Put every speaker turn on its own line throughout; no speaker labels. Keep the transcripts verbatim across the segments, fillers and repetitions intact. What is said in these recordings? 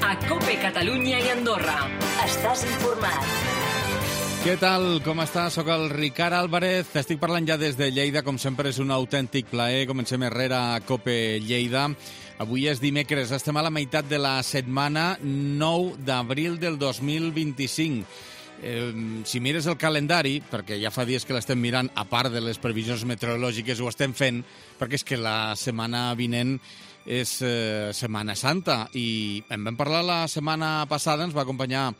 a COPE Catalunya i Andorra. Estàs informat.
Què tal? Com estàs? Soc el Ricard Álvarez. Estic parlant ja des de Lleida. Com sempre, és un autèntic plaer. Comencem enrere a COPE Lleida. Avui és dimecres. Estem a la meitat de la setmana, nou d'abril del dos mil vint-i-cinc. Eh, si mires el calendari, perquè ja fa dies que l'estem mirant, a part de les previsions meteorològiques, ho estem fent, perquè és que la setmana vinent és eh, Setmana Santa. I en vam parlar la setmana passada, ens va acompanyar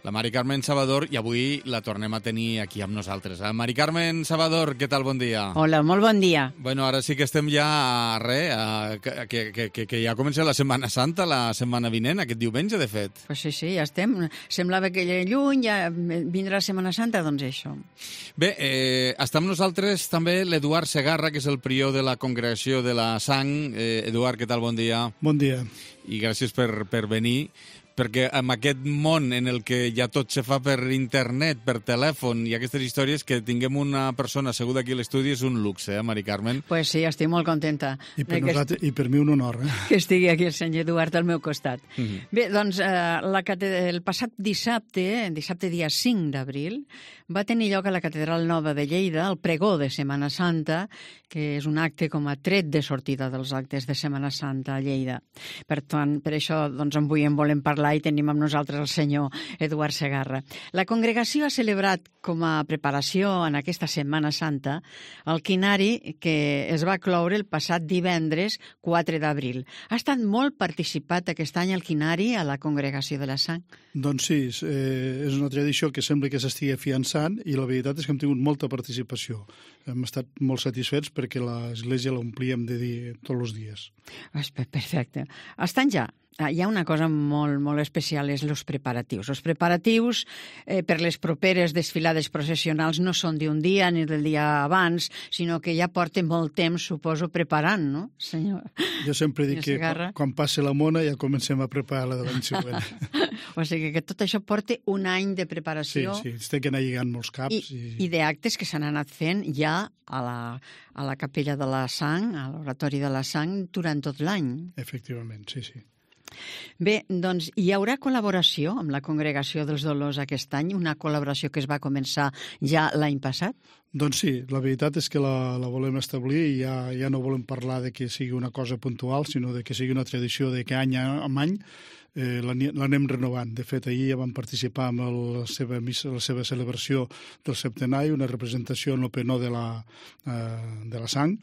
la Mari Carmen Salvador, i avui la tornem a tenir aquí amb nosaltres. Eh? Mari Carmen Salvador, què tal? Bon dia.
Hola, molt bon dia.
Bueno, ara sí que estem ja a res, a, que, que, que, que ja comença la Setmana Santa, la setmana vinent, aquest diumenge, de fet.
Pues sí, sí, ja estem. Semblava que lluny ja vindrà la Setmana Santa, doncs això.
Bé, eh, està amb nosaltres també l'Eduard Segarra, que és el prior de la Congregació de la Sang. Eh, Eduard, què tal? Bon dia.
Bon dia.
I gràcies per, per venir, perquè en aquest món en el que ja tot se fa per internet, per telèfon i aquestes històries, que tinguem una persona asseguda aquí a l'estudi és un luxe, eh, Mari Carmen?
Pues sí, estic molt contenta.
I per, nosaltres, est... i per mi un honor. Eh?
Que estigui aquí el senyor Eduard al meu costat.
Uh -huh.
Bé, doncs eh, la catedral, el passat dissabte, dissabte dia cinc d'abril, va tenir lloc a la Catedral Nova de Lleida el pregó de Setmana Santa, que és un acte com a tret de sortida dels actes de Setmana Santa a Lleida. Per tant, per això doncs, avui en volem parlar i tenim amb nosaltres el senyor Eduard Segarra. La congregació ha celebrat com a preparació en aquesta Setmana Santa el quinari que es va cloure el passat divendres quatre d'abril. Ha estat molt participat aquest any el quinari a la Congregació de la Sang?
Doncs sí, eh, és una tradició que sembla que s'estigui afiançant i la veritat és que hem tingut molta participació. Hem estat molt satisfets perquè l'església l'omplíem de dir tots els dies.
Perfecte. Estan ja. Hi ha una cosa molt, molt especial, és els preparatius. Els preparatius eh, per les properes desfilades processionals no són d'un dia ni del dia abans, sinó que ja porten molt temps, suposo, preparant, no, senyor?
Jo sempre dic que quan, quan passi la mona ja comencem a preparar la de l'any següent.
O sigui que tot això porta un any de preparació.
Sí, sí, es té que anar lligant molts caps.
I,
i...
i d'actes que s'han anat fent ja a la, a la Capella de la Sang, a l'Oratori de la Sang, durant tot l'any.
Efectivament, sí, sí.
Bé, doncs hi haurà col·laboració amb la Congregació dels Dolors aquest any, una col·laboració que es va començar ja l'any passat?
Doncs sí, la veritat és que la, la volem establir i ja, ja no volem parlar de que sigui una cosa puntual, sinó de que sigui una tradició de que any en any eh, l'anem renovant. De fet, ahir ja vam participar amb el, la, seva missa, la seva celebració del septenari, una representació en l'Openó de, la, eh, de la Sang,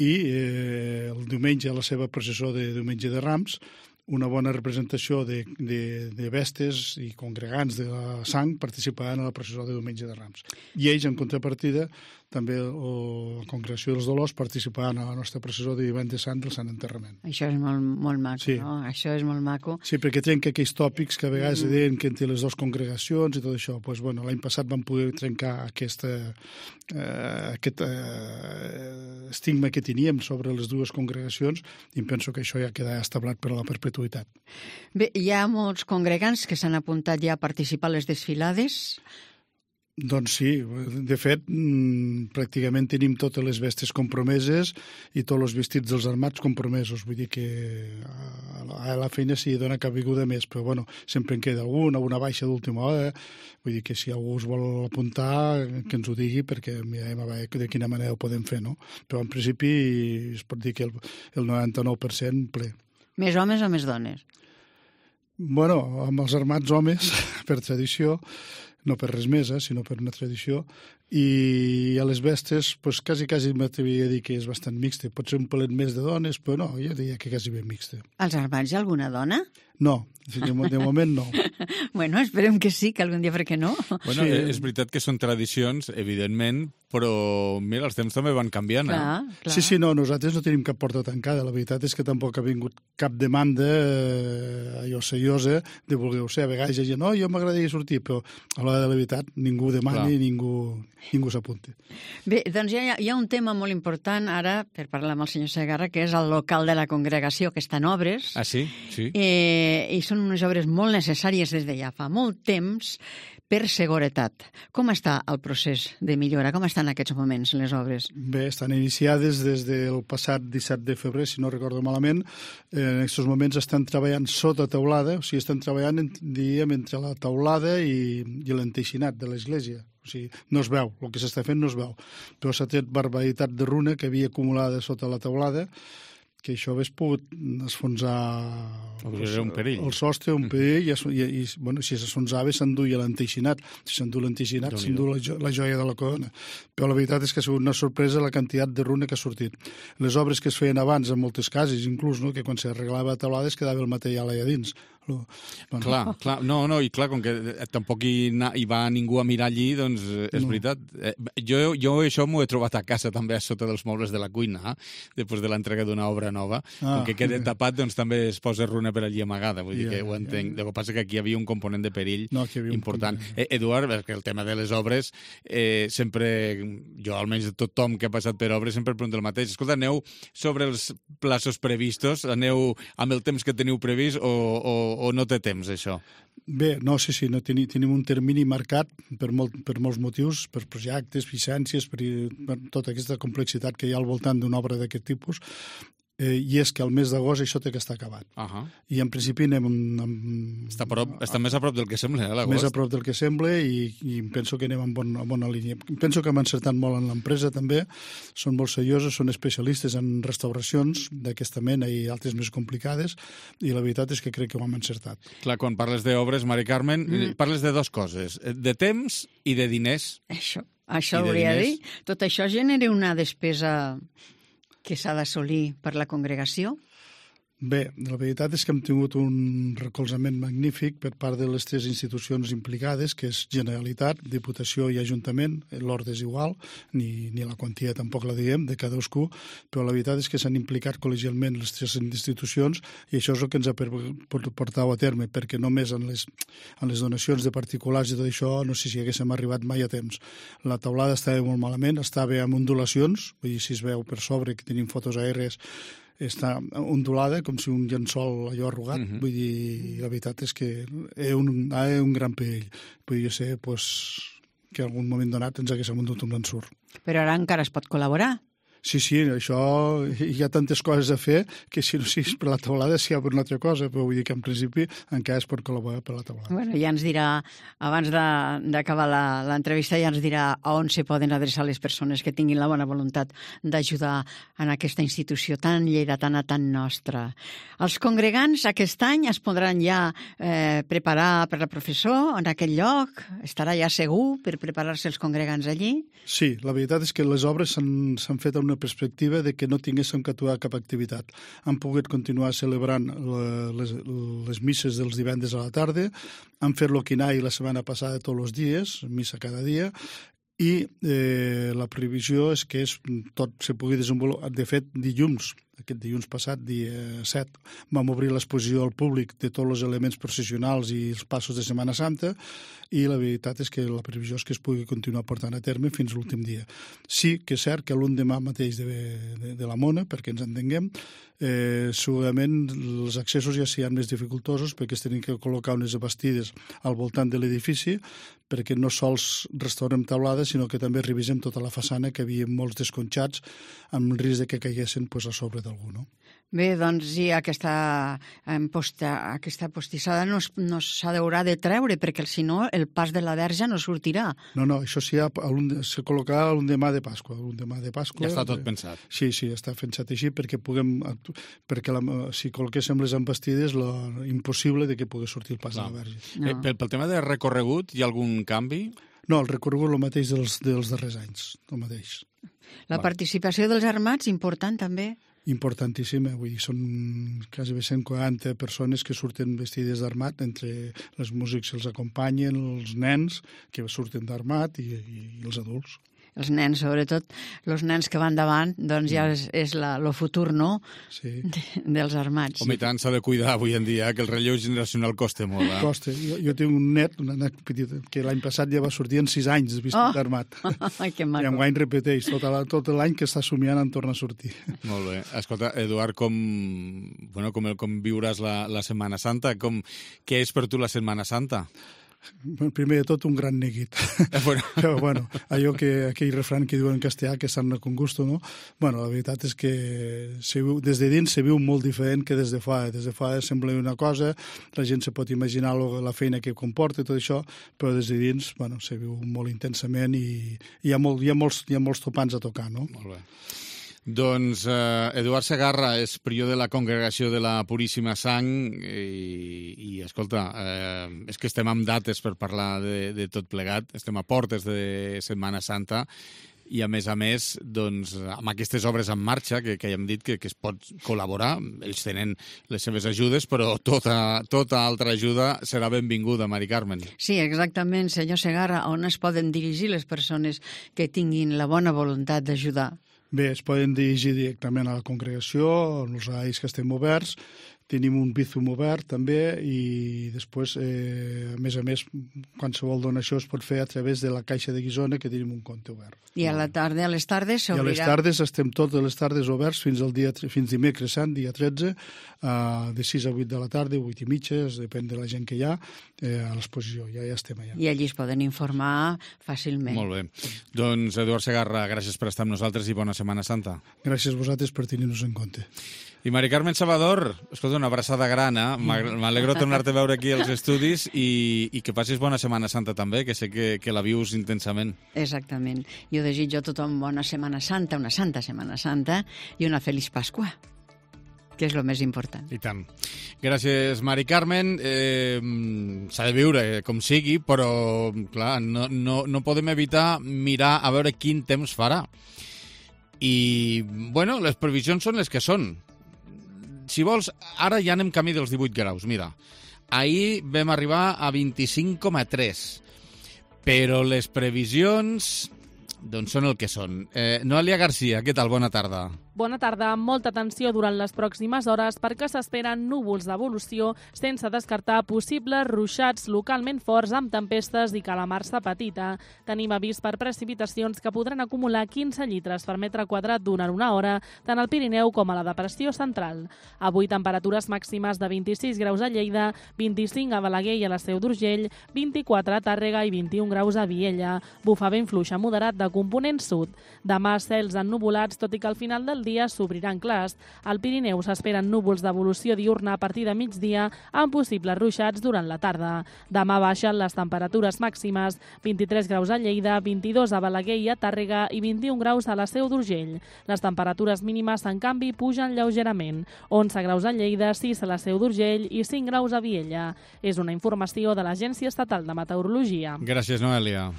i eh, el diumenge la seva processó de Diumenge de Rams, una bona representació de, de, de vestes i congregants de la Sang participaran a la processó de Diumenge de Rams. I ells, en contrapartida, també la Congregació dels Dolors participaran a la nostra processó de Divendres Sant del Sant Enterrament.
Això és molt, molt maco,
sí.
No? Això és molt maco.
Sí, perquè trenca aquells tòpics que a vegades mm. deien que entre les dues congregacions i tot això. Pues, bueno, l'any passat vam poder trencar aquesta, eh, aquest eh, estigma que teníem sobre les dues congregacions i em penso que això ja queda establert per a la perpetuïtat.
Bé, hi ha molts congregants que s'han apuntat ja a participar a les desfilades.
Doncs sí, de fet, pràcticament tenim totes les vestes compromeses i tots els vestits dels armats compromesos. Vull dir que a la feina s'hi dona cabuda més, però bueno, sempre en queda algun, alguna baixa d'última hora. Vull dir que si algú es vol apuntar, que ens ho digui, perquè mirem a veure de quina manera ho podem fer, no? Però en principi es pot dir que el, el noranta-nou per cent ple.
Més homes o més dones?
Bueno, amb els armats homes, per tradició, no per res més, eh, sinó per una tradició, i a les vestes, pues, quasi, quasi m'atreviria a dir que és bastant mixta. Pot ser un pelet més de dones, però no, jo diria que quasi ben mixta.
Als armats hi ha alguna dona?
No, de, de moment no.
Bueno, esperem que sí, que algun dia, per què no?
Bueno, sí. És veritat que són tradicions, evidentment, però, mira, els temps també van canviant.
Clar,
eh?
clar.
Sí, sí, no, nosaltres no tenim cap porta tancada. La veritat és que tampoc ha vingut cap demanda eh, allò seriosa de voler-ho ser. A vegades hi ha gent, no, jo m'agradaria sortir, però a l'hora de la veritat ningú demana i ningú... ningú s'apunti.
Bé, doncs hi ha, hi ha un tema molt important ara, per parlar amb el senyor Segarra, que és el local de la congregació, que està en obres.
Ah, sí? Sí.
Eh, I són unes obres molt necessàries des de ja fa molt temps per seguretat. Com està el procés de millora? Com estan en aquests moments les obres?
Bé, estan iniciades des del passat disset de febrer, si no recordo malament. En aquests moments estan treballant sota teulada, o sigui, estan treballant, diríem, entre la teulada i, i l'enteixinat de l'església. O sigui, no es veu, el que s'està fent no es veu. Però s'ha tret barbaritat de runa que havia acumulada sota la teulada, que això hagués pogut esfonsar
el, un perill.
el sostre, un perill, i, i, i bueno, si s'enfonsava s'enduia l'enteixinat. Si s'endú l'enteixinat, s'endú la, jo, la joia de la corona. Però la veritat és que ha sigut una sorpresa la quantitat de runa que ha sortit. Les obres que es feien abans, en moltes cases, inclús, no?, que quan s'arreglava la teulada es quedava el material allà dins. Lo,
bueno. Clar, clar, no, no, i clar, com que tampoc hi, hi va ningú a mirar allí, doncs és no. veritat. Jo, jo això m'ho he trobat a casa també a sota dels mobles de la cuina, després de l'entrega d'una obra nova. Ah, com que queda bé. tapat, doncs també es posa runa per allí amagada, vull yeah, dir que ho entenc. Yeah. El que passa que aquí hi havia un component de perill no, important. Eh, Eduard, perquè el tema de les obres, eh, sempre, jo almenys tothom que ha passat per obres, sempre pregunta el mateix. Escolta, aneu sobre els plaços previstos? Aneu amb el temps que teniu previst o, o o no té temps, això?
Bé, no, sí, sí, no, tenim, tenim un termini marcat per, molt, per molts motius, per projectes, llicències, per, per tota aquesta complexitat que hi ha al voltant d'una obra d'aquest tipus, eh, i és que al mes d'agost això té que estar acabat. Uh -huh. I en principi anem... Amb,
està, prop, està més a prop del que sembla, eh, l'agost?
Més a prop del que sembla i, i penso que anem en, bon, en bona línia. Penso que hem encertat molt en l'empresa també, són molt seriosos, són especialistes en restauracions d'aquesta mena i altres més complicades, i la veritat és que crec que ho hem encertat.
Clar, quan parles d'obres, Mari Carmen, mm. parles de dues coses, de temps i de diners.
Això, això hauria de dir. Tot això genera una despesa que s'ha d'assolir per la congregació?
Bé, la veritat és que hem tingut un recolzament magnífic per part de les tres institucions implicades, que és Generalitat, Diputació i Ajuntament. L'ordre és igual, ni, ni la quantia tampoc la diem, de cadascú, però la veritat és que s'han implicat col·legialment les tres institucions i això és el que ens ha portat a terme, perquè només en les, en les donacions de particulars i tot això no sé si haguéssim arribat mai a temps. La teulada estava molt malament, estava amb ondulacions, vull dir, si es veu per sobre, que tenim fotos aèries, està ondulada com si un llençol allò arrugat, uh-huh. Vull dir, la veritat és que hi ha un, hi ha un gran perill. Podria ser pues, que en algun moment donat ens hagués amuntat un ensurt.
Però ara encara es pot col·laborar?
Sí, sí, això hi ha tantes coses a fer que si no siguis per la teulada si hi ha per una altra cosa, però vull dir que en principi encara es pot col·laborar per la teulada.
Bueno, ja ens dirà, abans d'acabar l'entrevista, ja ens dirà a on se poden adreçar les persones que tinguin la bona voluntat d'ajudar en aquesta institució tan lleidatana, tan nostra. Els congregants aquest any es podran ja eh, preparar per la professor en aquell lloc? Estarà ja segur per preparar-se els congregants allí?
Sí, la veritat és que les obres s'han fet a una perspectiva de que no tinguéssim que aturar cap activitat. Han pogut continuar celebrant les, les misses dels divendres a la tarda, han fet l'oquinai la setmana passada tots els dies, missa cada dia, i eh, la previsió és que és, tot se pugui desenvolupar. De fet, dilluns, aquest dilluns passat, dia set, vam obrir l'exposició al públic de tots els elements processionals i els passos de Setmana Santa, i la veritat és que la previsió és que es pugui continuar portant a terme fins a l'últim dia. Sí que és cert que l'endemà mateix de, de, de la Mona, perquè ens entenguem, eh, segurament els accessos ja seran més dificultosos perquè es tenen que col·locar unes abastides al voltant de l'edifici, perquè no sols restaurem teulada, sinó que també revisem tota la façana, que havia molts desconxats amb el risc de que caiguessin pues, a sobre d'algú, no?
Bé, doncs sí, aquesta, posta, aquesta postissada no, no s'ha d'haurà de treure, perquè si no el pas de la verge no sortirà.
No, no, això sí, se col·locarà l'endemà de Pasqua. L'endemà de Pasqua.
Ja està tot pensat.
Sí, sí, està pensat així perquè puguem, perquè la, si col·loquéssim les embestides, lo impossible de que pugui sortir el pas Clar. de la verge.
No. Eh, pel, pel tema de recorregut, hi ha algun canvi?
No, el recorregut el mateix dels, dels darrers anys, el mateix.
La Va. participació dels armats, important també?
Importantíssima, vull dir, són quasi cent quaranta persones que surten vestides d'armat, entre els músics que els acompanyen, els nens que surten d'armat i, i, i els adults.
els nens, sobretot els nens que van davant, doncs ja és, és la, lo futur, no?, sí. de, dels armats.
Home, i tant s'ha de cuidar avui en dia, que el relleu generacional costa molt. Eh?
Costa. Jo, jo tinc un net, un net petit, que l'any passat ja va sortir en sis anys vestit oh. d'armat.
Ai, que maco.
I enguany repeteix, tot, la, tot l'any que està somiant en torna a sortir.
Molt bé. Escolta, Eduard, com, bueno, com, com viuràs la, la Setmana Santa? Com, què és per tu la Setmana Santa?
Primer de tot, un gran neguit.
Eh, bueno.
Però, bueno, allò que, aquell refran que diuen en castellà, que sarna con gusto, no? Bueno, la veritat és que se viu, des de dins se viu molt diferent que des de fora. Des de fora sembla una cosa, la gent se pot imaginar lo, la feina que comporta i tot això, però des de dins, bueno, se viu molt intensament i, i hi, ha molt, hi, ha molts, hi ha molts topants a tocar, no?
Molt bé. Doncs eh, Eduard Segarra és prior de la Congregació de la Puríssima Sang i, i escolta, eh, és que estem amb dates per parlar de, de tot plegat, estem a portes de Setmana Santa i, a més a més, doncs, amb aquestes obres en marxa, que, que ja hem dit que, que es pot col·laborar, ells tenen les seves ajudes, però tota, tota altra ajuda serà benvinguda, Mari Carmen.
Sí, exactament, senyor Segarra, on es poden dirigir les persones que tinguin la bona voluntat d'ajudar?
Bé, es poden dirigir directament a la congregació, als horaris que estem oberts, tenim un Bizum obert també i després, eh, a més a més, qualsevol donació es pot fer a través de la Caixa de Guissona, que tenim un compte obert.
I a la tarda, a les tardes s'obrirà?
I a les tardes estem totes les tardes oberts fins al dia fins dimecres sant, dia tretze, uh, de sis a vuit de la tarda, vuit i mitja, depèn de la gent que hi ha, eh, a l'exposició, ja, ja estem allà.
I allí es poden informar fàcilment.
Molt bé. Doncs, Eduard Segarra, gràcies per estar amb nosaltres i bona Setmana Santa.
Gràcies a vosaltres per tenir-nos en compte.
I Mari Carmen Salvador, escolta, una abraçada gran, eh? M'alegro tornar-te a veure aquí als estudis i, i que passis bona Setmana Santa també, que sé que, que la vius intensament.
Exactament. Jo desitjo a tothom bona Setmana Santa, una santa Setmana Santa i una feliç Pasqua, que és el més important.
I tant. Gràcies, Mari Carmen. Eh, s'ha de viure com sigui, però, clar, no, no, no podem evitar mirar a veure quin temps farà. I, bueno, les previsions són les que són. Si vols, ara ja anem camí dels divuit graus. Mira, ahir vam arribar a vint-i-cinc coma tres, però les previsions doncs són el que són. Eh, Noelia Garcia, què tal? Bona tarda.
Bona tarda. Amb molta atenció durant les pròximes hores perquè s'esperen núvols d'evolució sense descartar possibles ruixats localment forts amb tempestes i calamarsa petita. Tenim avís per precipitacions que podran acumular quinze litres per metre quadrat durant una hora tant al Pirineu com a la depressió central. Avui temperatures màximes de vint-i-sis graus a Lleida, vint-i-cinc a Balaguer i a la Seu d'Urgell, vint-i-quatre a Tàrrega i vint-i-un graus a Viella. Bufa vent fluix a moderat de component sud. Demà cels ennuvolats, tot i que al final del dia s'obriran clars. Al Pirineu s'esperen núvols d'evolució diurna a partir de migdia amb possibles ruixats durant la tarda. Demà baixen les temperatures màximes, vint-i-tres graus a Lleida, vint-i-dos a Balaguer i a Tàrrega i vint-i-un graus a la Seu d'Urgell. Les temperatures mínimes, en canvi, pugen lleugerament. onze graus a Lleida, sis a la Seu d'Urgell i cinc graus a Viella. És una informació de l'Agència Estatal de Meteorologia.
Gràcies, Noelia.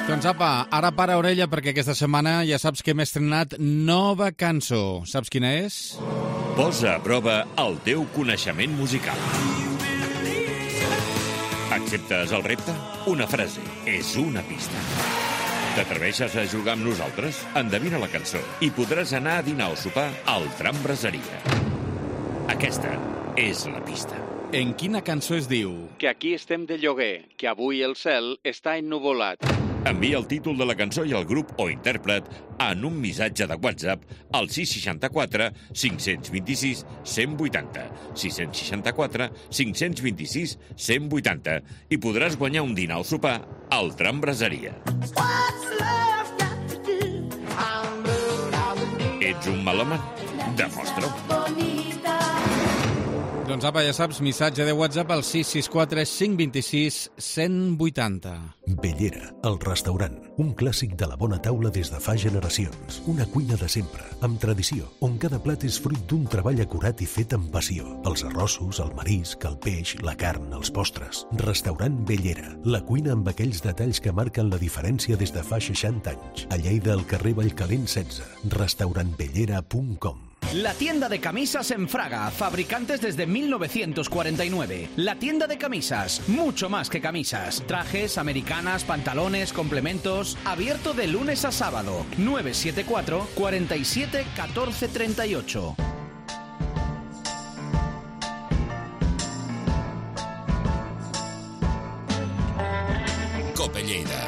Doncs apa, ara para orella perquè aquesta setmana ja saps que hem estrenat nova cançó. Saps quina és?
Posa a prova el teu coneixement musical. Acceptes el repte? Una frase és una pista. T'atreveixes a jugar amb nosaltres? Endevina la cançó i podràs anar a dinar o sopar al Tram Braseria. Aquesta és la pista.
En quina cançó es diu?
Que aquí estem de lloguer, que avui el cel està ennuvolat.
Envia el títol de la cançó i el grup o intèrpret en un missatge de WhatsApp al sis seixanta-quatre cinc cents vint-i-sis cent vuitanta, sis seixanta-quatre cinc cents vint-i-sis cent vuitanta i podràs guanyar un dinar o sopar al Tram Braseria. Ets un melòman? Demostra-ho.
Doncs apa, ja saps, missatge de WhatsApp al sis sis quatre cinc dos sis cent vuitanta.
Bellera, el restaurant. Un clàssic de la bona taula des de fa generacions. Una cuina de sempre, amb tradició, on cada plat és fruit d'un treball acurat i fet amb passió. Els arrossos, el marisc, el peix, la carn, els postres. Restaurant Bellera, la cuina amb aquells detalls que marquen la diferència des de fa seixanta anys. A Lleida, al carrer Vallcalent setze. restaurant bellera punt com.
La tienda de camisas en Fraga, fabricantes desde mil novecientos cuarenta y nueve. La tienda de camisas, mucho más que camisas. Trajes, americanas, pantalones, complementos. Abierto de lunes a sábado. nueve siete cuatro, cuarenta y siete, catorce treinta y ocho.
Cope Lleida.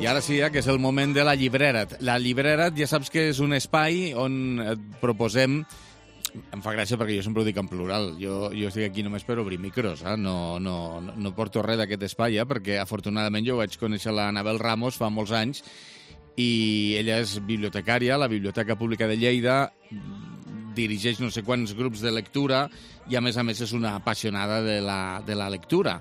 I ara sí, eh, que és el moment de la llibrera. La llibrera ja saps que és un espai on et proposem... Em fa gràcia perquè jo sempre ho dic en plural. Jo, jo estic aquí només per obrir micros, eh? no, no, no porto res d'aquest espai, eh? Perquè afortunadament jo vaig conèixer la Anabel Ramos fa molts anys i ella és bibliotecària a la Biblioteca Pública de Lleida, dirigeix no sé quants grups de lectura i a més a més és una apassionada de la, de la lectura.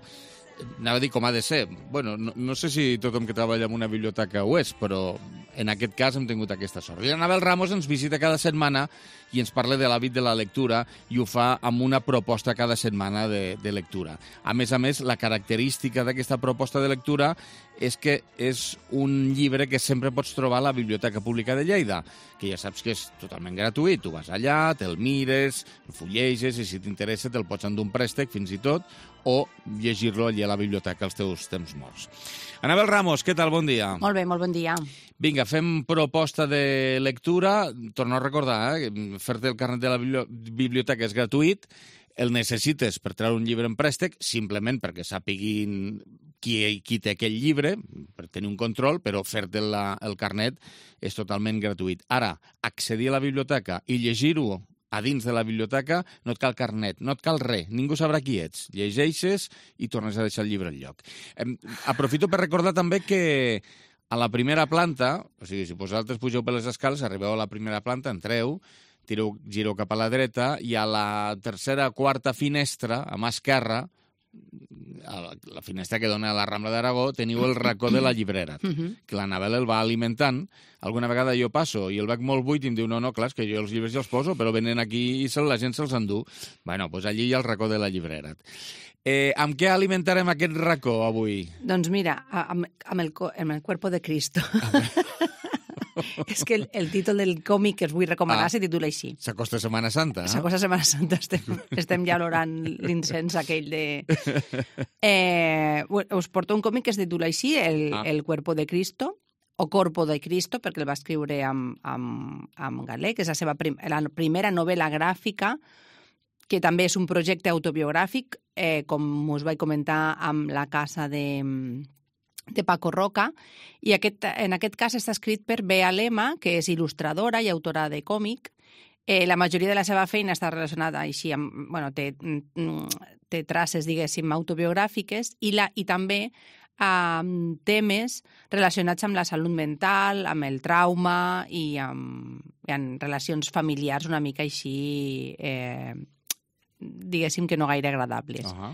Anava a dir com ha de ser. Bueno, no, no sé si tothom que treballa en una biblioteca ho és, però en aquest cas hem tingut aquesta sort. I l'Anabel Ramos ens visita cada setmana i ens parla de l'hàbit de la lectura i ho fa amb una proposta cada setmana de, de lectura. A més a més, la característica d'aquesta proposta de lectura és que és un llibre que sempre pots trobar a la Biblioteca Pública de Lleida, que ja saps que és totalment gratuït. Tu vas allà, te'l mires, el fulleges i si t'interessa te'l pots endur un préstec fins i tot o llegir-lo allà a la biblioteca als teus temps morts. Anabel Ramos, què tal? Bon dia.
Molt bé, molt bon dia.
Vinga, fem proposta de lectura. Torno a recordar, eh? Fer-te el carnet de la biblioteca és gratuït. El necessites per treure un llibre en préstec, simplement perquè sàpiguin qui, qui té aquell llibre, per tenir un control, però fer-te el carnet és totalment gratuït. Ara, accedir a la biblioteca i llegir-ho a dins de la biblioteca no et cal carnet, no et cal res, ningú sabrà qui ets. Llegeixes i tornes a deixar el llibre al lloc. Aprofito per recordar també que a la primera planta, o sigui, si vosaltres pugeu per les escales, arribeu a la primera planta, entreu, tireu, gireu cap a la dreta i a la tercera o quarta finestra, a mà esquerra, a la, la finestra que dona a la Rambla d'Aragó, teniu el racó de la llibrera, que l'Anabel el va alimentant. Alguna vegada jo passo i el veig molt buit i em diu, no, no, clar, és que jo els llibres ja els poso, però venen aquí i se, la gent se'ls endú. Bueno, doncs allí hi ha el racó de la llibrera. Eh, amb què alimentarem aquest racó avui?
Doncs mira, amb, amb, el, amb el cuerpo de Cristo. És que el, el títol del còmic que us vull recomanar ah, se titula així.
S'acosta Setmana Santa. Eh?
S'acosta Setmana Santa. Estem, estem ja olorant l'incens aquell de... Eh, us porto un còmic que es titula així, el, ah. el Cuerpo de Cristo, o Corpo de Cristo, perquè el va escriure amb, amb, amb galè, que és la seva prim, la primera novel·la gràfica, que també és un projecte autobiogràfic, eh, com us vaig comentar amb La casa de... de Paco Roca, i aquest, en aquest cas està escrit per Bea Lema, que és il·lustradora i autora de còmic. Eh, la majoria de la seva feina està relacionada així amb... Bueno, té, té traces, diguéssim, autobiogràfiques i, la, i també amb temes relacionats amb la salut mental, amb el trauma i amb, i amb relacions familiars una mica així, eh, diguéssim que no gaire agradables. Uh-huh.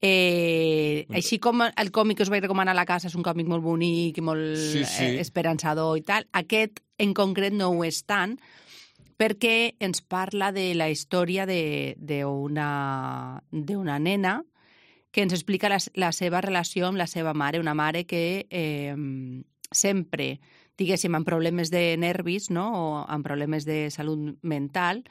Eh, així com el còmic que us vaig recomanar a la casa és un còmic molt bonic i molt sí, sí. Eh, esperançador i tal, aquest en concret no ho és tant perquè ens parla de la història d'una d'una nena que ens explica la, la seva relació amb la seva mare, una mare que eh, sempre, diguéssim, amb problemes de nervis, no? O amb problemes de salut mental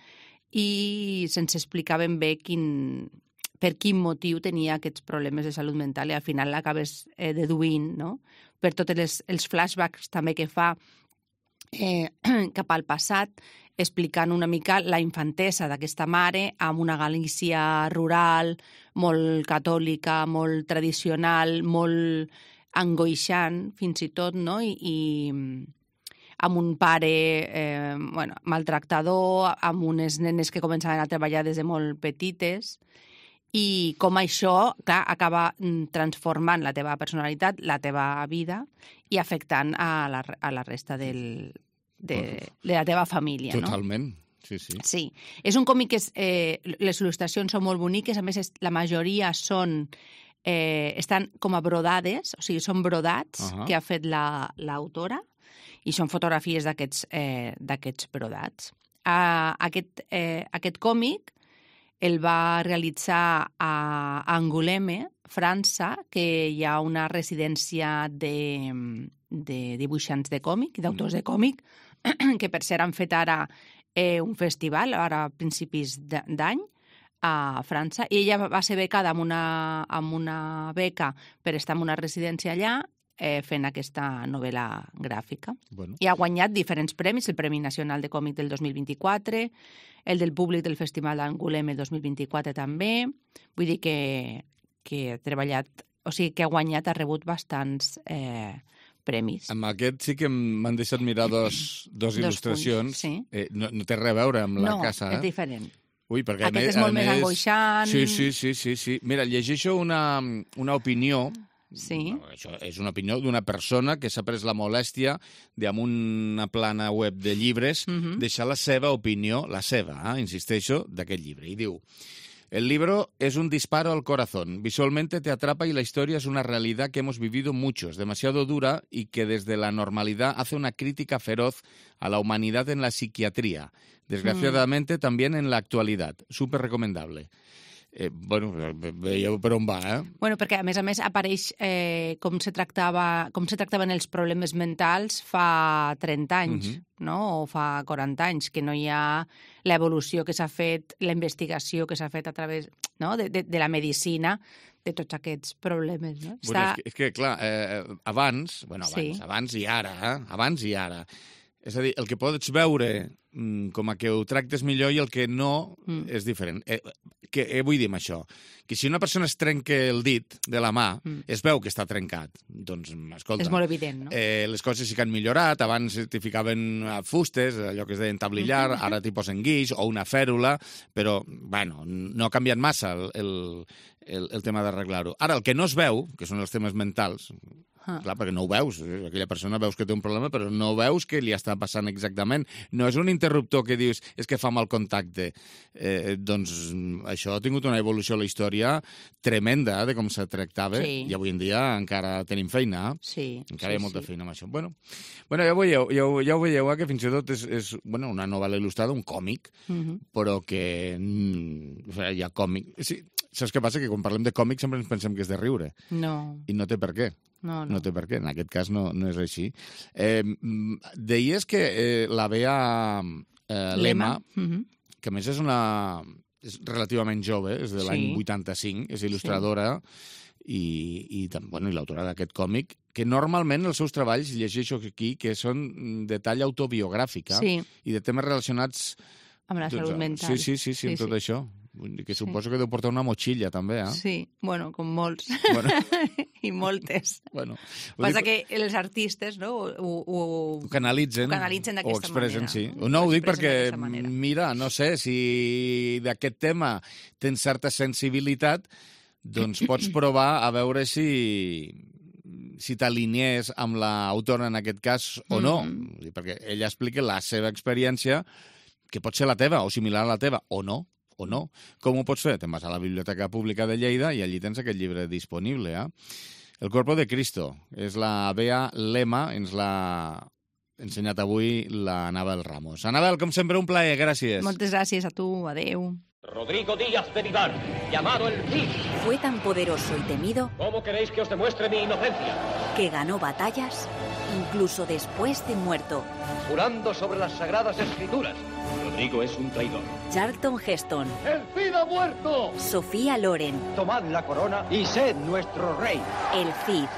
i sense explicar ben bé quin... per quin motiu tenia aquests problemes de salut mental i al final l'acabes eh, deduint, no? Per tots els, els flashbacks també que fa eh, cap al passat, explicant una mica la infantesa d'aquesta mare amb una Galícia rural, molt catòlica, molt tradicional, molt angoixant, fins i tot, no? I, i amb un pare eh, bueno, maltractador, amb unes nenes que començaven a treballar des de molt petites, i com això, clar, acaba transformant la teva personalitat, la teva vida, i afectant a la, a la resta del, de, de la teva família.
Totalment,
no?
sí, sí.
Sí, és un còmic que és, eh, les il·lustracions són molt boniques, a més és, la majoria són, eh, estan com a brodades, o sigui, són brodats uh-huh. que ha fet l'autora, la, i són fotografies d'aquests eh, d'aquests brodats. Uh, aquest, eh, aquest còmic el va realitzar a Angoulême, França, que hi ha una residència de, de dibuixants de còmic, d'autors de còmic, que per cert han fet ara eh, un festival, ara a principis d'any, a França, i ella va ser becada amb una, amb una beca per estar en una residència allà, eh, fent aquesta novel·la gràfica.
Bueno.
I ha guanyat diferents premis, el Premi Nacional de Còmic del dos mil vint-i-quatre, el del públic del Festival d'Angoulême dos mil vint-i-quatre també. Vull dir que, que ha treballat, o sigui, que ha guanyat, ha rebut bastants eh, premis.
Amb aquest sí que m'han deixat mirar dos, dos il·lustracions.
Dos punts, sí.
eh, no, no té res a veure amb la
no,
casa.
No,
eh?
és diferent.
Ui, perquè
Aquest és molt més angoixant.
Sí, sí, sí, sí, sí. Mira, llegeixo una, una opinió.
Sí.
Això és una opinió d'una persona que s'ha pres la molèstia de, amb una plana web de llibres, uh-huh. deixar la seva opinió, la seva, eh, insisteixo, d'aquest llibre. I diu: el libro es un disparo al corazón. Visualmente te atrapa y la historia es una realidad que hemos vivido muchos, demasiado dura y que desde la normalidad hace una crítica feroz a la humanidad en la psiquiatría. Desgraciadamente, mm. también en la actualidad. Súper recomendable. Eh, bueno, veieu per on va, eh?
Bueno, perquè, a més a més, apareix eh, com se tractava, com se tractaven els problemes mentals fa trenta anys, uh-huh. no? O fa quaranta anys, que no hi ha l'evolució que s'ha fet, la investigació que s'ha fet a través, no? de, de, de la medicina, de tots aquests problemes, no?
Bueno, Està... és, que, és que, clar, eh, abans, bueno, abans,
sí.
abans i ara, eh? Abans i ara. És a dir, el que pots veure mm, com a que ho tractes millor i el que no mm. és diferent. Eh, què eh, vull dir amb això? Que si una persona es trenca el dit de la mà, mm. es veu que està trencat. Doncs, escolta...
És molt evident, no?
Eh, les coses sí que han millorat. Abans t'hi ficaven fustes, allò que es deien tablillar, mm-hmm. ara t'hi posen guix o una fèrula, però, bueno, no ha canviat massa el, el, el, el tema d'arreglar-ho. Ara, el que no es veu, que són els temes mentals... Ah. Clar, perquè no ho veus. Aquella persona veus que té un problema, però no veus què li està passant exactament. No és un interruptor que dius és que fa mal contacte. Eh, doncs això ha tingut una evolució a la història tremenda de com se tractava, sí. I avui en dia encara tenim feina.
Sí,
encara
sí,
hi ha molta
sí.
feina amb això. Bueno, bueno ja, ho veieu, ja, ho, ja ho veieu, eh, que fins i tot és, és bueno, una novel·la il·lustrada, un còmic, uh-huh. però que mm, o sigui, hi ha còmic... Sí, saps què passa? Que quan parlem de còmic sempre ens pensem que és de riure.
No.
I no té per què.
No, no.
no té per què, en aquest cas no, no és així. Eh, deies que eh, la Bea eh, Lema,
uh-huh.
que a més és una... és relativament jove, és de
sí.
l'any vuitanta-cinc, és il·lustradora sí. i, i, bueno, i l'autora d'aquest còmic, que normalment els seus treballs, llegeixo aquí, que són de talla autobiogràfica
sí.
i de temes relacionats...
Amb la salut mental.
Sí, sí, sí, sí, amb sí, tot sí. això. Que suposo sí. que deu portar una motxilla, també, eh?
Sí, bueno, com molts.
Bueno.
I moltes.
Bueno.
Passa dic... que els artistes, no?, ho, ho,
ho canalitzen,
ho canalitzen d'aquesta
o expressen,
manera.
Sí.
No,
no ho dic perquè, mira, no sé, si d'aquest tema tens certa sensibilitat, doncs pots provar a veure si si t'alinees amb l'autora en aquest cas o no. Mm-hmm. Perquè ella explica la seva experiència, que pot ser la teva o similar a la teva, o no. o no. Com ho pots fer? Te'n vas a la Biblioteca Pública de Lleida i allí tens aquest llibre disponible. Eh? El Cuerpo de Cristo. És la Bea Lema, ens l'ha ensenyat avui la Anabel Ramos. Anabel, com sempre, un plaer, gràcies.
Moltes gràcies a tu, adeu.
Rodrigo Díaz de Vivar, llamado el Cid.
Fue tan poderoso y temido...
¿Cómo queréis que os demuestre mi inocencia?
Que ganó batallas, incluso después de muerto.
Jurando sobre las sagradas escrituras. Rodrigo es un traidor.
Charlton Heston.
¡El Cid ha muerto!
Sofía Loren.
Tomad la corona y sed nuestro rey.
El Cid.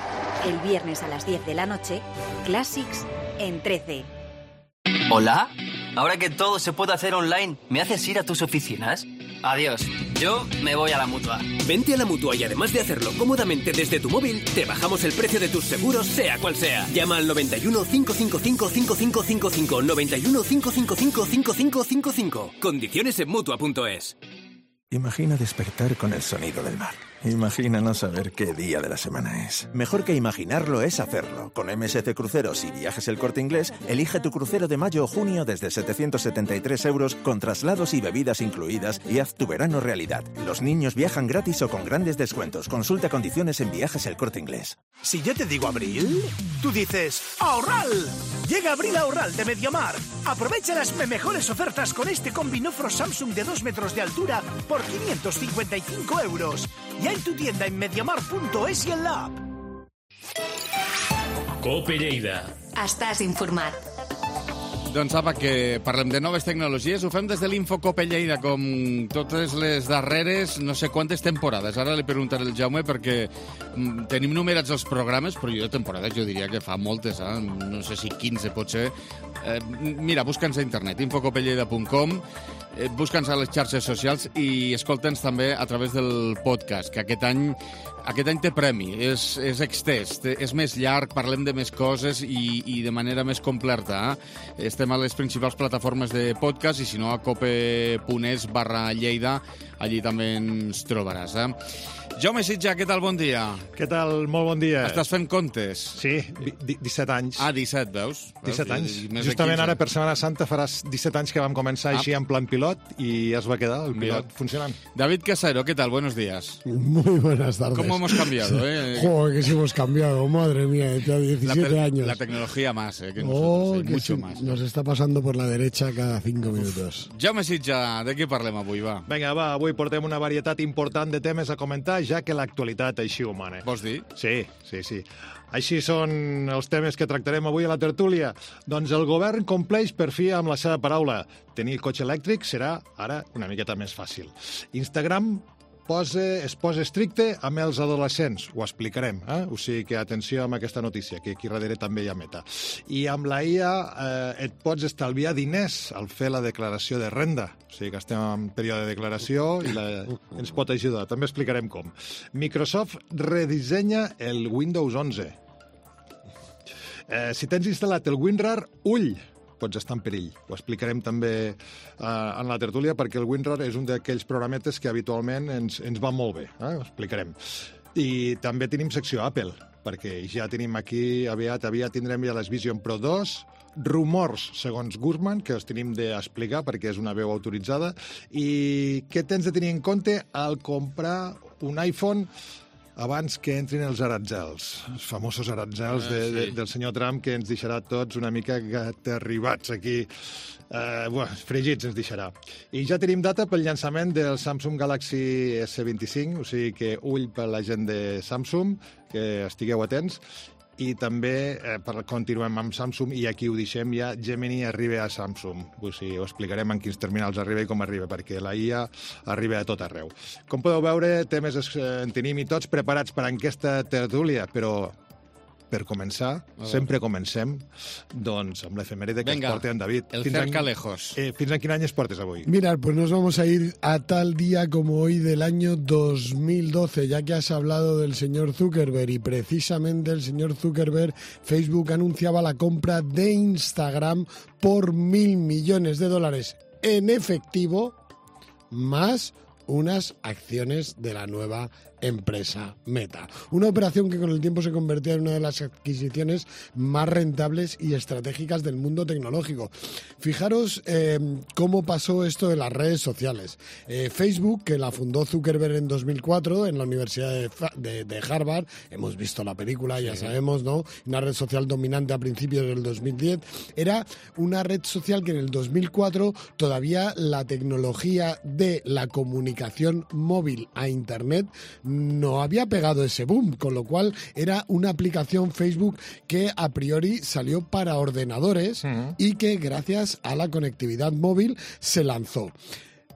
El viernes a las diez de la noche, Classics en trece.
¿Hola? Ahora que todo se puede hacer online, ¿me haces ir a tus oficinas? Adiós. Yo me voy a la Mutua.
Vente a la Mutua y además de hacerlo cómodamente desde tu móvil, te bajamos el precio de tus seguros, sea cual sea. Llama al noventa y uno, cinco cinco cinco, cinco cinco cinco cinco, noventa y uno, cinco cinco cinco, cinco cinco cinco cinco. Condiciones en Mutua punto es.
Imagina despertar con el sonido del mar. Imagina no saber qué día de la semana es. Mejor que imaginarlo es hacerlo. Con M S C Cruceros y Viajes El Corte Inglés, elige tu crucero de mayo o junio desde setecientos setenta y tres euros con traslados y bebidas incluidas y haz tu verano realidad. Los niños viajan gratis o con grandes descuentos. Consulta condiciones en Viajes El Corte Inglés.
Si yo te digo abril, tú dices ¡ahorral! Llega Abril Ahorral de Mediamar. Aprovecha las mejores ofertas con este combinofro Samsung de dos metros de altura por quinientos cincuenta y cinco euros. Ya en tu tienda en mediamar punto es i en l'app.
Cope Lleida.
Estàs informat.
Doncs apa, que parlem de noves tecnologies. Ho fem des de l'Info Cope Lleida, com totes les darreres, no sé quantes temporades. Ara li preguntaré al Jaume perquè mm, tenim numerats els programes, però jo de temporades jo diria que fa moltes, eh? No sé si quinze potser. Eh, mira, busca'ns a internet, info cope lleida punt com, eh, busca'ns a les xarxes socials i escolta'ns també a través del podcast, que aquest any Aquest any té premi, és, és extès, té, és més llarg, parlem de més coses i, i de manera més completa. Eh? Estem a les principals plataformes de podcast i si no a cope.es barra Lleida, allí també ens trobaràs. Eh? Jaume Sitja, què tal? Bon dia.
Què tal? Molt bon dia.
Estàs fent comptes?
Sí, disset anys.
Ah, disset, veus?
disset anys. Justament ara, per Setmana Santa, faràs disset anys que vam començar ah. així en plan pilot i es va quedar el pilot Mira. funcionant.
David Casero, ¿qué tal? Buenos días.
Muy buenas tardes.
¿Cómo hemos cambiado? Eh?
Joder, que sí hemos cambiado, madre mía, ya diecisiete
la
años.
La tecnología más, eh, que nosotros,
oh,
eh,
que
mucho
sí,
más.
Nos está pasando por la derecha cada cinco minutos.
Jaume Sitja, de què parlem avui, va?
Vinga, va, avui portem una varietat important de temes a comentar, ja que l'actualitat així ho mana.
Vols dir?
Sí, sí, sí. Així són els temes que tractarem avui a la tertúlia. Doncs el govern compleix per fi amb la seva paraula. Tenir cotxe elèctric serà ara una miqueta més fàcil. Instagram posa, es posa estricte amb els adolescents. Ho explicarem, eh? O sigui que atenció amb aquesta notícia, que aquí darrere també hi ha meta. I amb la I A eh, et pots estalviar diners al fer la declaració de renda. O sigui que estem en període de declaració i la, ens pot ajudar. També explicarem com. Microsoft redissenya el Windows onze. Eh, si tens instal·lat el WinRAR, ull! Pots estar en perill. Ho explicarem també eh, en la tertúlia perquè el WinRAR és un d'aquells programetes que habitualment ens, ens va molt bé. Eh? Ho explicarem. I també tenim secció Apple, perquè ja tenim aquí, aviat, aviat tindrem ja les Vision Pro dos, rumors, segons Guzman, que els tenim d'explicar perquè és una veu autoritzada, i què tens de tenir en compte al comprar un iPhone abans que entrin els aratzels, els famosos aratzels de, de, del senyor Trump, que ens deixarà tots una mica aterribats aquí. Eh, buah, fregits ens deixarà. I ja tenim data pel llançament del Samsung Galaxy S vint-i-cinc, o sigui que ull per la gent de Samsung, que estigueu atents. I també eh, per, continuem amb Samsung i aquí ho deixem ja, Gemini arriba a Samsung. O sigui, ho explicarem en quins terminals arriba i com arriba, perquè la I A arriba a tot arreu. Com podeu veure, temes en tenim i tots preparats per a aquesta tertúlia, però per començar, sempre comencem doncs amb l'efemèride que
Venga,
ens porta en David.
el
fins
cerca
en,
lejos.
Eh, fins en quin any es portes avui?
Mira, pues nos vamos a ir a tal día como hoy del año dos mil doce, ya que has hablado del señor Zuckerberg y precisamente el señor Zuckerberg, Facebook anunciaba la compra de Instagram por mil millones de dólares en efectivo, más unas acciones de la nueva empresa Meta. Una operación que con el tiempo se convertía en una de las adquisiciones más rentables y estratégicas del mundo tecnológico. Fijaros eh, cómo pasó esto de las redes sociales. Eh, Facebook, que la fundó Zuckerberg en dos mil cuatro en la Universidad de, de, de Harvard, hemos visto la película, ya sí. sabemos, ¿no? Una red social dominante a principios del dos mil diez, era una red social que en el dos mil cuatro todavía la tecnología de la comunicación móvil a Internet no había pegado ese boom, con lo cual era una aplicación Facebook que a priori salió para ordenadores uh-huh. y que gracias a la conectividad móvil se lanzó.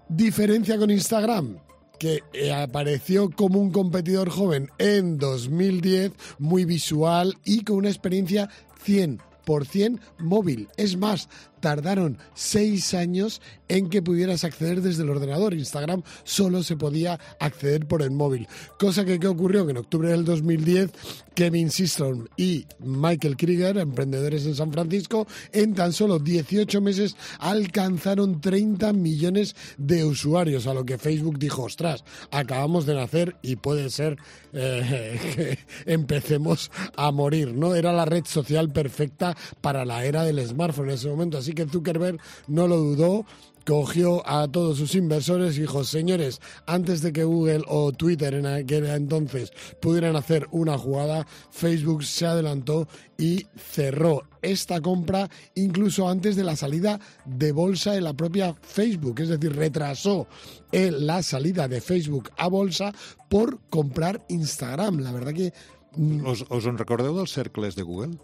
Diferencia con Instagram, que apareció como un competidor joven en dos mil diez, muy visual y con una experiencia cien por ciento móvil. Es más, tardaron seis años en que pudieras acceder desde el ordenador. Instagram solo se podía acceder por el móvil. Cosa que, ¿qué ocurrió? Que en octubre del dos mil diez, Kevin Systrom y Michael Krieger, emprendedores en San Francisco, en tan solo dieciocho meses alcanzaron treinta millones de usuarios, a lo que Facebook dijo, ostras, acabamos de nacer y puede ser eh, que empecemos a morir, ¿no? Era la red social perfecta para la era del smartphone en ese momento, así que Zuckerberg no lo dudó, cogió a todos sus inversores y dijo, señores, antes de que Google o Twitter en aquel entonces pudieran hacer una jugada, Facebook se adelantó y cerró esta compra incluso antes de la salida de bolsa de la propia Facebook, es decir, retrasó la salida de Facebook a bolsa por comprar Instagram. La verdad que...
Us, us en recordeu dels cercles de Google?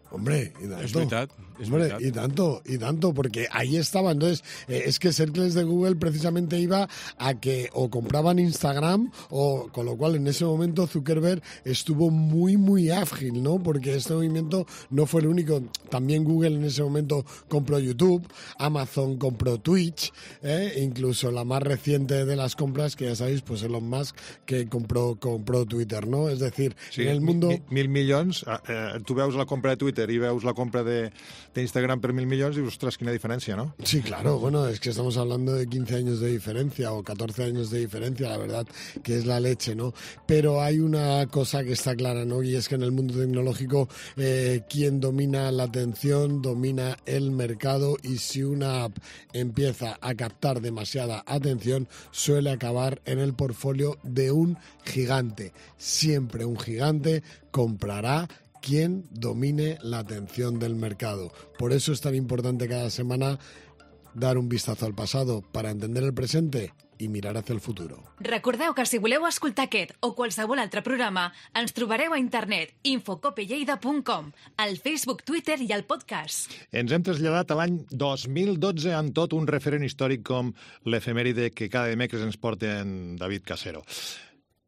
Hombre, y tanto.
Es veritat, es
Hombre,
veritat.
y tanto, y tanto, porque ahí estaba. Entonces, eh, es que Cercles de Google precisamente iba a que o compraban Instagram, o con lo cual en ese momento Zuckerberg estuvo muy, muy ágil, ¿no? Porque este movimiento no fue el único. También Google en ese momento compró YouTube, Amazon compró Twitch, ¿eh? Incluso la más reciente de las compras, que ya sabéis, pues Elon Musk, que compró, compró Twitter, ¿no? Es decir,
sí,
en el mundo...
Mil, mil milions, eh, tu veus la compra de Twitter i veus la compra de, de Instagram per mil milions i dius, ostres, quina diferència, ¿no?
Sí, claro, bueno, es que estamos hablando de quince años de diferencia o catorce años de diferencia, la verdad que es la leche, ¿no? Pero hay una cosa que está clara, ¿no? Y es que en el mundo tecnológico eh, quien domina la atención domina el mercado, y si una app empieza a captar demasiada atención suele acabar en el portfolio de un gigante. Siempre un gigante comprará quien domine la atención del mercado. Por eso es tan importante cada semana dar un vistazo al pasado para entender el presente i mirar hacia el futuro.
Recordeu que si voleu escoltar aquest o qualsevol altre programa, ens trobareu a internet infocopelleida punt com, al Facebook, Twitter i al podcast.
Ens hem traslladat a l'any dos mil dotze amb tot un referent històric com l'efemèride que cada dimecres ens porta en David Casero.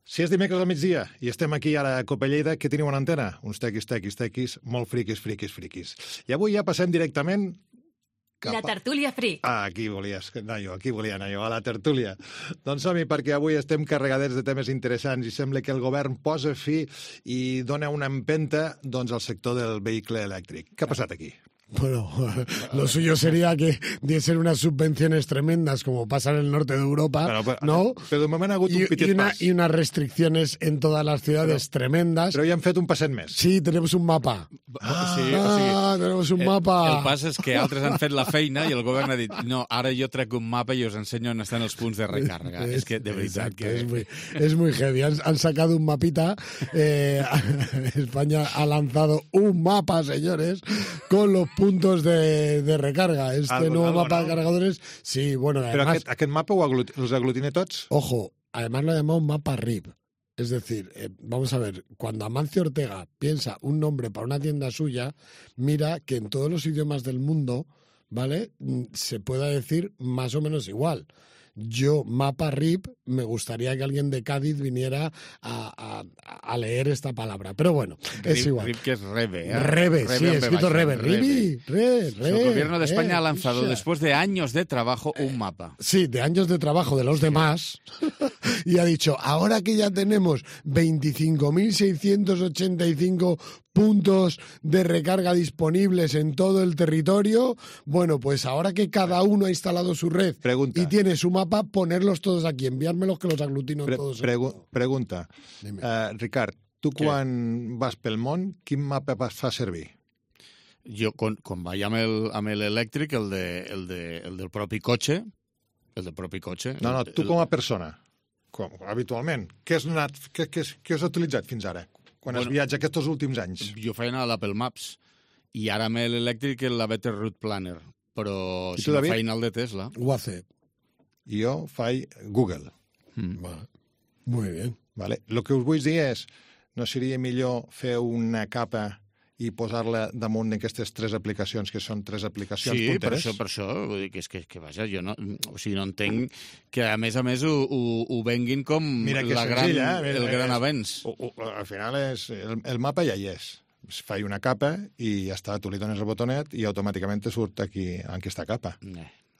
Si és dimecres al migdia i estem aquí ara a Copelleida, què teniu en antena? Uns tequis, tequis, tequis, molt friquis, friquis, friquis. I avui ja passem directament...
Cap a... La tertúlia fric.
Ah, aquí volies anar jo, aquí volia anar jo, a la tertúlia. Doncs som-hi, perquè avui estem carregadets de temes interessants i sembla que el govern posa fi i dona una empenta doncs, al sector del vehicle elèctric. Què ha passat aquí?
Bueno, lo suyo sería que diesen unas subvenciones tremendas como pasa en el norte de Europa,
pero, pero,
¿no?
Pero de moment ha hagut un
y,
petit
y, una,
pas.
y unas restricciones en todas las ciudades
pero,
tremendas.
Però ja hem fet un passet més.
Sí, tenemos un mapa.
Ah, sí,
ah
o sigui,
tenemos un
el,
mapa.
El pas és que altres han fet la feina i el govern ha dit, no, ara jo trec un mapa i us ensenyo on estan els punts de recàrrega. Es, és que, de veritat,
exacto,
que...
Es muy, es muy heavy. Han, han sacado un mapita. Eh, España ha lanzado un mapa, señores, con los puntos de de recarga. Este
algo,
nuevo
algo,
mapa
¿no?
de cargadores, sí, bueno,
Pero
además...
aquest, aquest mapa ho agluti, els aglutina tots?
Ojo, además lo llamamos mapa R I P. Es decir, eh, vamos a ver, cuando Amancio Ortega piensa un nombre para una tienda suya, mira que en todos los idiomas del mundo, ¿vale?, se pueda decir más o menos igual. Yo, mapa R I P, me gustaría que alguien de Cádiz viniera a, a, a leer esta palabra. Pero bueno, es
Rip,
igual.
R I P, que es Rebe. ¿eh?
Rebe, sí,
Rebe
escrito Rebe.
Rebe.
Ribi, re, re,
El gobierno de España
eh,
ha lanzado,
escucha.
después de años de trabajo, un mapa.
Sí, de años de trabajo de los demás, y ha dicho, ahora que ya tenemos veinticinco mil seiscientos ochenta y cinco puntos de recarga disponibles en todo el territorio, bueno, pues ahora que cada uno ha instalado su red
pregunta.
y tiene su mapa, ponerlos todos aquí, enviármelos que los aglutino
Pre
todos.
pregu pregunta, uh, Ricard, tu
Què?
quan vas pel món, quin mapa fa servir?
Jo, quan, quan vaig amb el, amb l'elèctric, el, de, el, de, el del propi cotxe, el del propi cotxe...
No, no,
el,
tu com a persona, com, habitualment, què has, anat, què, què, què has utilitzat fins ara, quan bueno, has viatjat aquests últims anys?
Jo feia anar a l'Apple Maps, i ara amb l'elèctric la Better Route Planner, però
I
si
tu,
no
David?
feina el de Tesla...
Ho hace.
Jo faig Google.
Mm.
Vale. Muy bien.
Vale. El que us vull dir és, no seria millor fer una capa i posar-la damunt d'aquestes tres aplicacions, que són tres aplicacions
sí,
punteres?
Sí, per això, per això. Vull dir que és que, que vaja, jo no, o sigui, no entenc que, a més a més, ho, ho, ho venguin com
Mira que
la
senzill,
gran,
eh? Mira,
el gran
és,
avenç.
O, o, al final és, el, el mapa ja hi és. es fa una capa i ja està, tu li dones el botonet i automàticament te surt aquí en aquesta capa.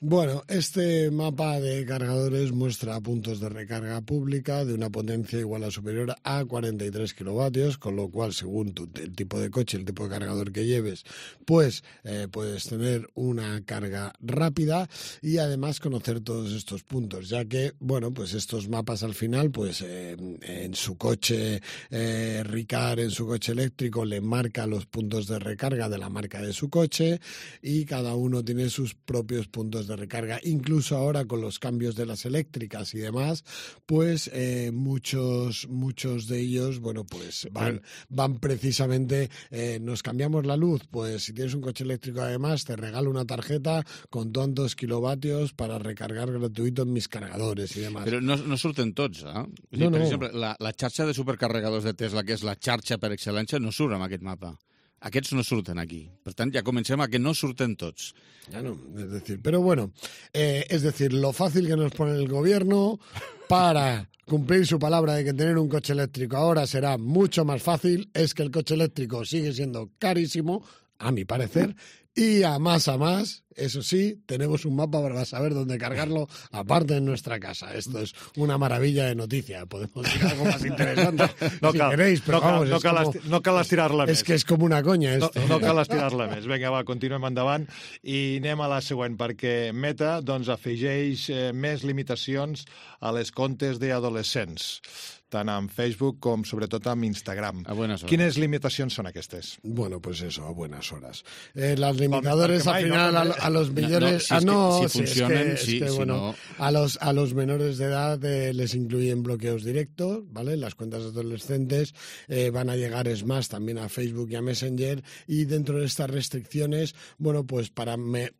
Bueno, este mapa de cargadores muestra puntos de recarga pública de una potencia igual a superior a cuarenta y tres kilovatios, con lo cual, según tu, el tipo de coche, el tipo de cargador que lleves, pues eh, puedes tener una carga rápida y además conocer todos estos puntos, ya que, bueno, pues estos mapas al final, pues eh, en su coche eh, Ricard, en su coche eléctrico, le marca los puntos de recarga de la marca de su coche y cada uno tiene sus propios puntos de de recarga. Incluso ahora con los cambios de las eléctricas y demás, pues eh, muchos muchos de ellos, bueno, pues van, van precisamente, eh, nos cambiamos la luz, pues si tienes un coche eléctrico además te regalo una tarjeta con tantos kilovatios para recargar gratuito en mis cargadores y demás.
Però no, no surten tots, eh? O sigui,
No,
per
no.
exemple, la, la xarxa de supercarregadors de Tesla, que és la xarxa per excel·lència, no surt en aquest mapa. Aquests no surten aquí. Per tant, ja comencem a que no surten tots.
Ya no, es decir, pero bueno, eh, es decir, lo fácil que nos pone el gobierno para cumplir su palabra de que tener un coche eléctrico ahora será mucho más fácil, es que el coche eléctrico sigue siendo carísimo, a mi parecer, y a más a más, eso sí, tenemos un mapa para saber dónde cargarlo, aparte en nuestra casa. Esto es una maravilla de noticia. Podemos decir algo más interesante
No
si
cal,
queréis, però
no cal,
vamos,
no
és
cal,
como-
esti- no cal estirar-la més.
És que és com una conya,
No,
esto.
no cal estirar-la més. Vinga, va, continuem endavant i anem a la següent, perquè Meta doncs, afegeix eh, més limitacions a les comptes d'adolescents, tant amb Facebook com sobretot amb Instagram.
A buenas horas.
Quines limitacions són aquestes?
Bueno, pues eso, a buenas horas. Eh, las limitadores
Porque
al
mai,
final
no,
a, lo- a los
No,
menores...
no, si
ah,
es que-
no,
si
sí, es
funcionan,
que- es
sí,
que,
si
bueno,
no-
a los, a los menores de edad eh, les incluyen bloqueos directos, ¿vale? Las cuentas adolescentes eh, van a llegar, es más, también a Facebook y a Messenger, y dentro de estas restricciones, bueno, pues para... Me,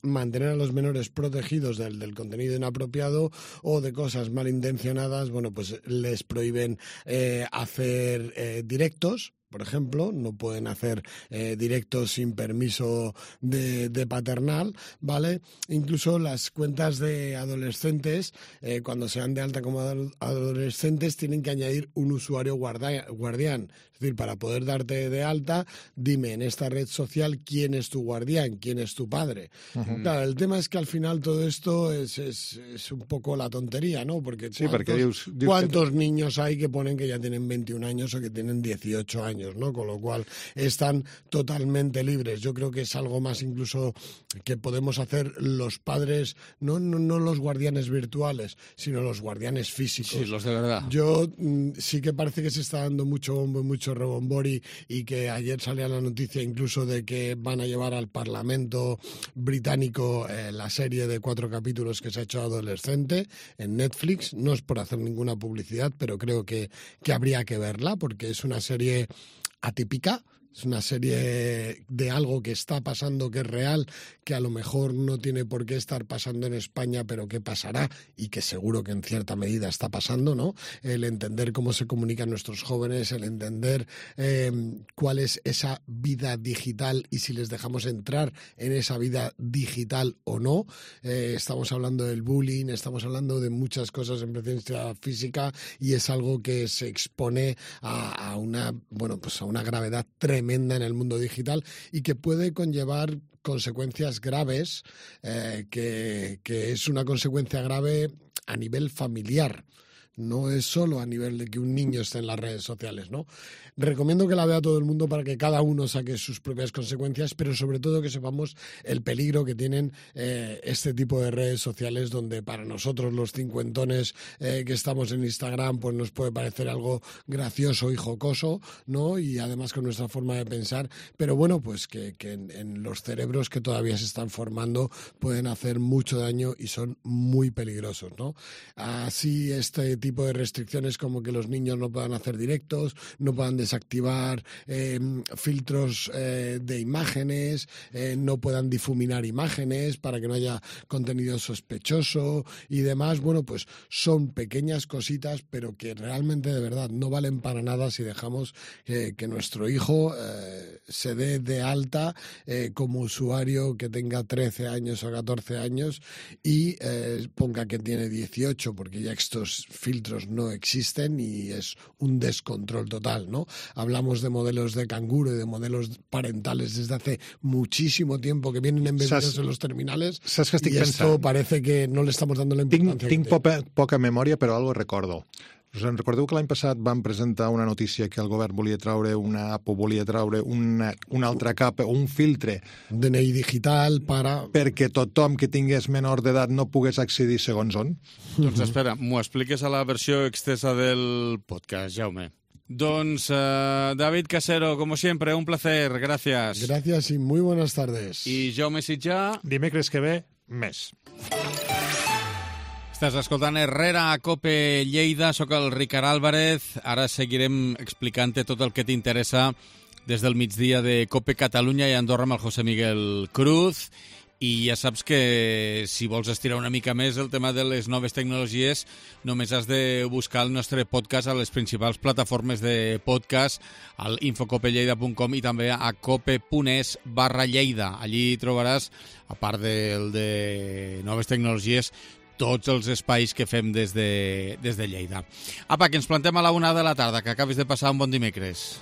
mantener a los menores protegidos del, del contenido inapropiado o de cosas malintencionadas, bueno, pues les prohíben eh, hacer eh, directos. Por ejemplo, no pueden hacer eh, directos sin permiso de, de paternal, ¿vale? Incluso las cuentas de adolescentes, eh, cuando se dan de alta como adol- adolescentes, tienen que añadir un usuario guarda- guardián. Es decir, para poder darte de alta, dime en esta red social quién es tu guardián, quién es tu padre.
Ujú.
Claro, el tema es que al final todo esto es, es, es un poco la tontería, ¿no? Porque
Sí, perquè
¿cuántos-
dius... dius
¿Cuántos niños hay que ponen que ya tienen veintiún años o que tienen dieciocho años, ¿no? Con lo cual están totalmente libres. Yo creo que es algo más incluso que podemos hacer los padres, no, no, no los guardianes virtuales, sino los guardianes físicos.
Sí, los de verdad.
Yo mm, sí que parece que se está dando mucho bombo y mucho rebombori y que ayer salía la noticia incluso de que van a llevar al Parlamento británico eh, la serie de cuatro capítulos que se ha hecho adolescente en Netflix. No es por hacer ninguna publicidad, pero creo que, que habría que verla porque es una serie atípica. Es una serie de algo que está pasando, que es real, que a lo mejor no tiene por qué estar pasando en España, pero que pasará y que seguro que en cierta medida está pasando, ¿no? El entender cómo se comunican nuestros jóvenes, el entender eh, cuál es esa vida digital y si les dejamos entrar en esa vida digital o no. Eh, estamos hablando del bullying, estamos hablando de muchas cosas en presencia física y es algo que se expone a, a una, bueno, pues a una gravedad tremenda en el mundo digital y que puede conllevar consecuencias graves, eh, que, que es una consecuencia grave a nivel familiar. No es solo a nivel de que un niño esté en las redes sociales, ¿no? Recomiendo que la vea todo el mundo para que cada uno saque sus propias consecuencias, pero sobre todo que sepamos el peligro que tienen eh, este tipo de redes sociales donde para nosotros los cincuentones eh, que estamos en Instagram pues nos puede parecer algo gracioso y jocoso, ¿no? Y además con nuestra forma de pensar, pero bueno, pues que, que en, en los cerebros que todavía se están formando pueden hacer mucho daño y son muy peligrosos, ¿no? Así este tipo de restricciones como que los niños no puedan hacer directos, no puedan desactivar eh, filtros eh, de imágenes, eh, no puedan difuminar imágenes para que no haya contenido sospechoso y demás. Bueno, pues son pequeñas cositas, pero que realmente de verdad no valen para nada si dejamos eh, que nuestro hijo eh, se dé de alta eh, como usuario que tenga trece años o catorce años y eh, ponga que tiene dieciocho, porque ya estos filtros filtros no existen y es un descontrol total, ¿no? Hablamos de modelos de canguro y de modelos parentales desde hace muchísimo tiempo que vienen embebidos
Saps,
en los terminales
saps que estic
y esto
pensant?
parece que no le estamos dando la importancia.
Tinc, tinc poca, poca memòria, però algo recordo. Us en recordeu que l'any passat vam presentar una notícia que el govern volia traure una app o volia traure una, una altra capa o un filtre
D N I digital para...
perquè tothom que tingués menor d'edat no pogués accedir segons on?
Doncs espera, m'ho expliques a la versió extensa del podcast, Jaume. Doncs, uh, David Casero, como siempre, un placer, gracias.
Gracias y muy buenas tardes.
I Jaume Sitjà...
Dimecres que ve, més.
Estàs escoltant Herrera a Cope Lleida, sóc el Ricard Álvarez. Ara seguirem explicant-te tot el que t'interessa des del migdia de Cope Catalunya i Andorra amb el José Miguel Cruz. I ja saps que si vols estirar una mica més el tema de les noves tecnologies, només has de buscar el nostre podcast a les principals plataformes de podcast, al infocopelleida punt com i també a cope.es barra Lleida. Allí trobaràs, a part del de noves tecnologies, tots els espais que fem des de, des de Lleida. Apa, que ens plantem a la una de la tarda, que acabis de passar un bon dimecres.